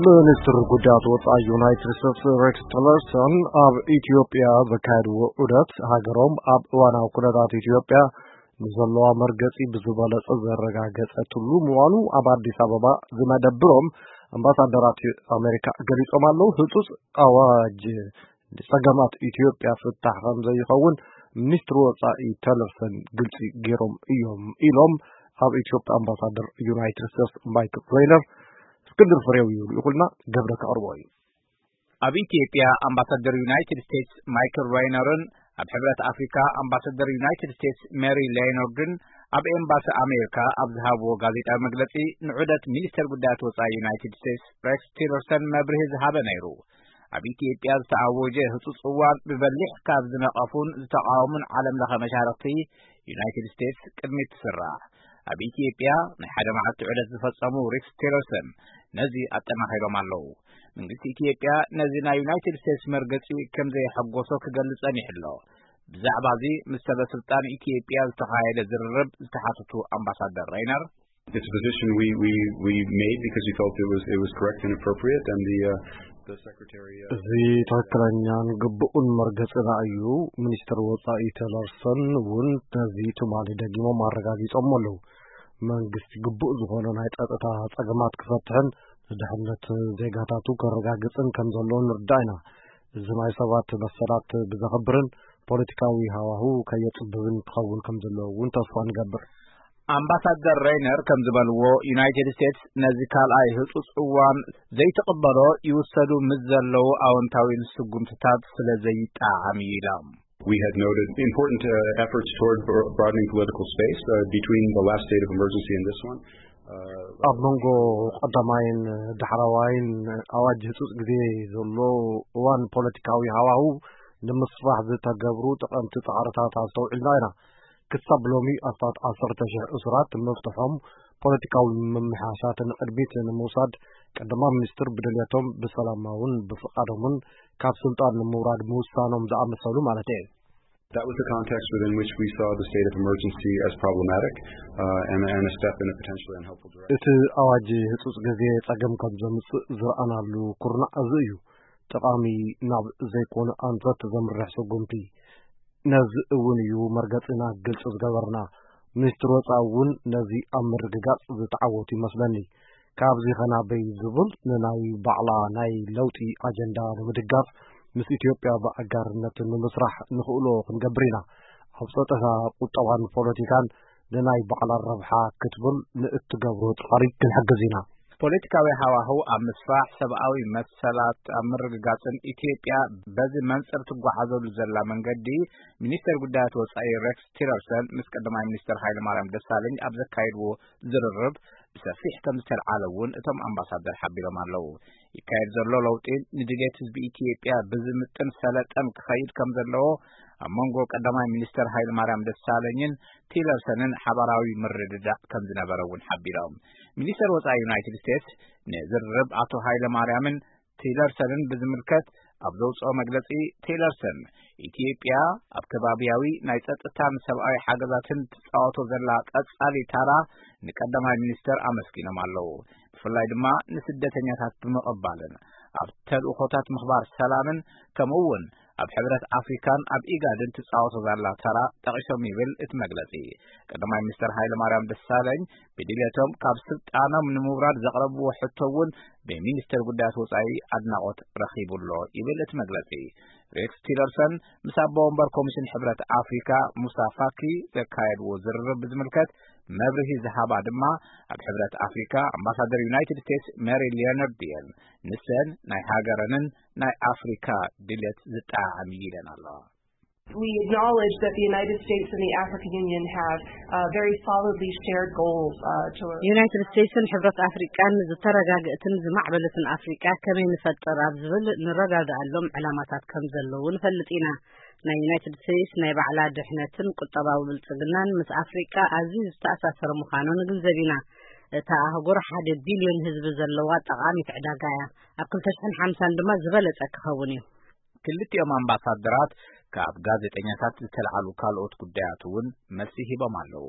ሚኒስትር ጉዳያት ወጻኢ ዩናይትድ ስቴትስ ሬክስ ቲለርሰን ኣብ ኢትዮጵያ ዘካየድዎ ዑደት፣ ሃገሮም ኣብ እዋናዊ ኩነታት ኢትዮጵያ ንዘለዋ መርገጺ ብዝበለጸ ዘረጋገጸትሉ ምዃኑ ኣብ ኣዲስ ኣበባ ዝመደብሮም ኣምባሳደራት ኣሜሪካ ገሊጾም ኣለዉ። ህጹጽ ኣዋጅ ንጸገማት ኢትዮጵያ ፍታሕ ከም ዘይኸውን ሚኒስትሪ ወጻኢ ተለርሰን ግልጺ ገይሮም እዮም ኢሎም ኣብ ኢትዮጵያ ኣምባሳደር ዩናይትድ ስቴትስ ማይክል ሬይነር። እስክንድር ፍሬው እዩ ልኢኹልና፣ ገብረ ከቕርቦ እዩ። ኣብ ኢትዮጵያ ኣምባሳደር ዩናይትድ ስቴትስ ማይክል ሬይነርን ኣብ ሕብረት ኣፍሪካ ኣምባሳደር ዩናይትድ ስቴትስ ሜሪ ሌኖርድን ኣብ ኤምባሲ ኣሜሪካ ኣብ ዝሃብዎ ጋዜጣዊ መግለጺ፣ ንዑደት ሚኒስተር ጉዳያት ወጻኢ ዩናይትድ ስቴትስ ሬክስ ቲለርሰን መብርሂ ዝሃበ ነይሩ። ኣብ ኢትዮጵያ ዝተኣወጀ ህጹጽ እዋን ብበሊሕ ካብ ዝነቐፉን ዝተቓወሙን ዓለም ለኸ መሻርኽቲ ዩናይትድ ስቴትስ ቅድሚት ትስራዕ። ኣብ ኢትዮጵያ ናይ ሓደ መዓልቲ ዑደት ዝፈጸሙ ሬክስ ቲለርሰን ነዚ ኣጠናኺሮም ኣለዉ። መንግስቲ ኢትዮጵያ ነዚ ናይ ዩናይትድ ስቴትስ መርገጺ ከም ዘየሐጎሶ ክገልጽ ጸኒሑ ኣሎ። ብዛዕባ እዚ ምስ ሰበ ስልጣን ኢትዮጵያ ዝተኻየደ ዝርርብ ዝተሓተቱ ኣምባሳደር ሬይነር፣ It's a position we, we, we made because we felt it was, it was correct and appropriate, and the, uh, the secretary, uh, እዚ ትኽክለኛን ግቡእን መርገጽና እዩ። ሚኒስትር ወጻኢ ቲለርሰን እውን ነዚ ትማሊ ደጊሞም ኣረጋጊጾም ኣለዉ። መንግስቲ ግቡእ ዝኾነ ናይ ጸጥታ ጸገማት ክፈትሕን ንድሕነት ዜጋታቱ ከረጋግጽን ከም ዘለዎ ንርዳእ ኢና። እዚ ናይ ሰባት መሰላት ብዘኽብርን ፖለቲካዊ ሃዋህው ከየጽብብን ክኸውን ከም ዘለዎ እውን ተስፋ ንገብር። ኣምባሳደር ሬይነር ከም ዝበልዎ፣ ዩናይትድ ስቴትስ ነዚ ካልኣይ ህጹጽ እዋን ዘይትቕበሎ ይውሰዱ ምስ ዘለዉ ኣወንታዊ ስጉምትታት ስለ ዘይጠዓም እዩ ኢሎም። We had noted important, uh, efforts toward bro-, broadening political space, uh, between the last state of emergency and this one. Uh, ኣብ መንጎ ቀዳማይን ዳሕረዋይን ኣዋጅ ህጹጽ ግዜ ዘሎ እዋን ፖለቲካዊ ሃዋህው ንምስፋሕ ዝተገብሩ ጠቐምቲ ጻዕርታት ኣስተውዒልና ኢና። ክሳብ ሎሚ ኣስታት ዓሰርተ ሽሕ እሱራት ምፍትሖም፣ ፖለቲካዊ ምምሕያሻት ንቕድሚት ንምውሳድ ቀዳማይ ሚኒስትር ብድልየቶም ብሰላማውን ብፍቓዶምን ካብ ስልጣን ንምውራድ ምውሳኖም ዝኣመሰሉ ማለት እየ። That was the context within which we saw the state of emergency as problematic, uh, and, and a step in a potentially unhelpful direction. እቲ ኣዋጅ ህጹጽ ግዜ ጸገም ከም ዘምጽእ ዝረኣናሉ ኩርናዕ እዚ እዩ። ጠቓሚ ናብ ዘይኮነ ኣንፈት ዘምርሕ ስጉምቲ። ነዚ እውን እዩ መርገጺና ግልጺ ዝገበርና። ሚኒስትሪ ወጻኢ እውን ነዚ ኣብ ምርግጋጽ ዝተዓወቱ ይመስለኒ። ካብዚ ኸናበይ ዝብል ንናይ ባዕላ ናይ ለውጢ ኣጀንዳ ንምድጋፍ ምስ ኢትዮጵያ ብኣጋርነት ንምስራሕ ንኽእሎ ክንገብር ኢና። ኣብ ጸጥታ፣ ቁጠባን ፖለቲካን ንናይ ባዕላ ረብሓ ክትብል ንእትገብሮ ጻዕሪ ክንሕግዝ ኢና። ፖለቲካዊ ሃዋህው ኣብ ምስፋሕ፣ ሰብኣዊ መሰላት ኣብ ምርግጋጽን ኢትዮጵያ በዚ መንጽር ትጓዓዘሉ ዘላ መንገዲ፣ ሚኒስተር ጉዳያት ወጻኢ ሬክስ ቲለርሰን ምስ ቀዳማይ ሚኒስተር ሃይለማርያም ደሳለኝ ኣብ ዘካየድዎ ዝርርብ ብሰፊሕ ከም ዝተልዓለ እውን እቶም ኣምባሳደር ሓቢሮም ኣለዉ። ይካየድ ዘሎ ለውጢ ንድሌት ህዝቢ ኢትዮጵያ ብዝምጥን ሰለጠን ክኸይድ ከም ዘለዎ፣ ኣብ መንጎ ቀዳማይ ሚኒስተር ሃይለማርያም ደሳለኝን ቲለርሰንን ሓባራዊ ምርድዳእ ከም ዝነበረ እውን ሓቢሮም። ሚኒስተር ወጻኢ ዩናይትድ ስቴትስ ንዝርርብ ኣቶ ሃይለማርያምን ቲለርሰንን ብዝምልከት ኣብ ዘውፅኦ መግለፂ፣ ቲለርሰን ኢትዮጵያ ኣብ ከባቢያዊ ናይ ጸጥታን ሰብኣዊ ሓገዛትን ትጻወቶ ዘላ ቀጻሊ ታራ ንቀዳማይ ሚኒስተር ኣመስጊኖም ኣለዉ። ብፍላይ ድማ ንስደተኛታት ብምቕባልን ኣብ ተልእኾታት ምኽባር ሰላምን ከምኡ እውን ኣብ ሕብረት ኣፍሪካን ኣብ ኢጋድን ትጻወቶ ዘላ ተራ ጠቒሶም ይብል እቲ መግለጺ። ቀዳማይ ሚኒስተር ሃይለማርያም ደሳለኝ ብድልየቶም ካብ ስልጣኖም ንምውራድ ዘቕረብዎ ሕቶ እውን ብሚኒስተር ጉዳያት ወጻኢ ኣድናቖት ረኺቡ ኣሎ ይብል እቲ መግለጺ። ሬክስ ቲለርሰን ምስ ኣቦ ወንበር ኮሚሽን ሕብረት ኣፍሪካ ሙሳ ፋኪ ዘካየድዎ ዝርርብ ብዝምልከት መብርሂ ዝሃባ ድማ ኣብ ሕብረት ኣፍሪካ ኣምባሳደር ዩናይትድ ስቴትስ ሜሪ ሊዮነርድ እየን። ንሰን ናይ ሃገረንን ናይ ኣፍሪካ ድልየት ዝጠዓዓም እዩ ኢለን ኣለዋ። We acknowledge that the United States and the African Union have, uh, very solidly shared goals, uh, to ዩናይትድ ስቴትስን ሕብረት ኣፍሪቃን ዝተረጋግእትን ዝማዕበለትን ኣፍሪቃ ከመይ ንፈጥር ኣብ ዝብል ንረዳድኣሎም ዕላማታት ከም ዘለዉ ንፈልጥ ኢና። ናይ ዩናይትድ ስቴትስ ናይ ባዕላ ድሕነትን ቁጠባዊ ብልጽግናን ምስ ኣፍሪቃ ኣዝዩ ዝተኣሳሰረ ምዃኑ ንግንዘብ ኢና። እታ ኣህጉር ሓደ ቢልዮን ህዝቢ ዘለዋ ጠቓሚት ዕዳጋ እያ። ኣብ ክልተ ሽሕን ሓምሳን ድማ ዝበለጸ ክኸውን እዩ። ክልቲኦም ኣምባሳደራት ካብ ጋዜጠኛታት ዝተልዓሉ ካልኦት ጉዳያት እውን መልሲ ሂቦም ኣለዉ።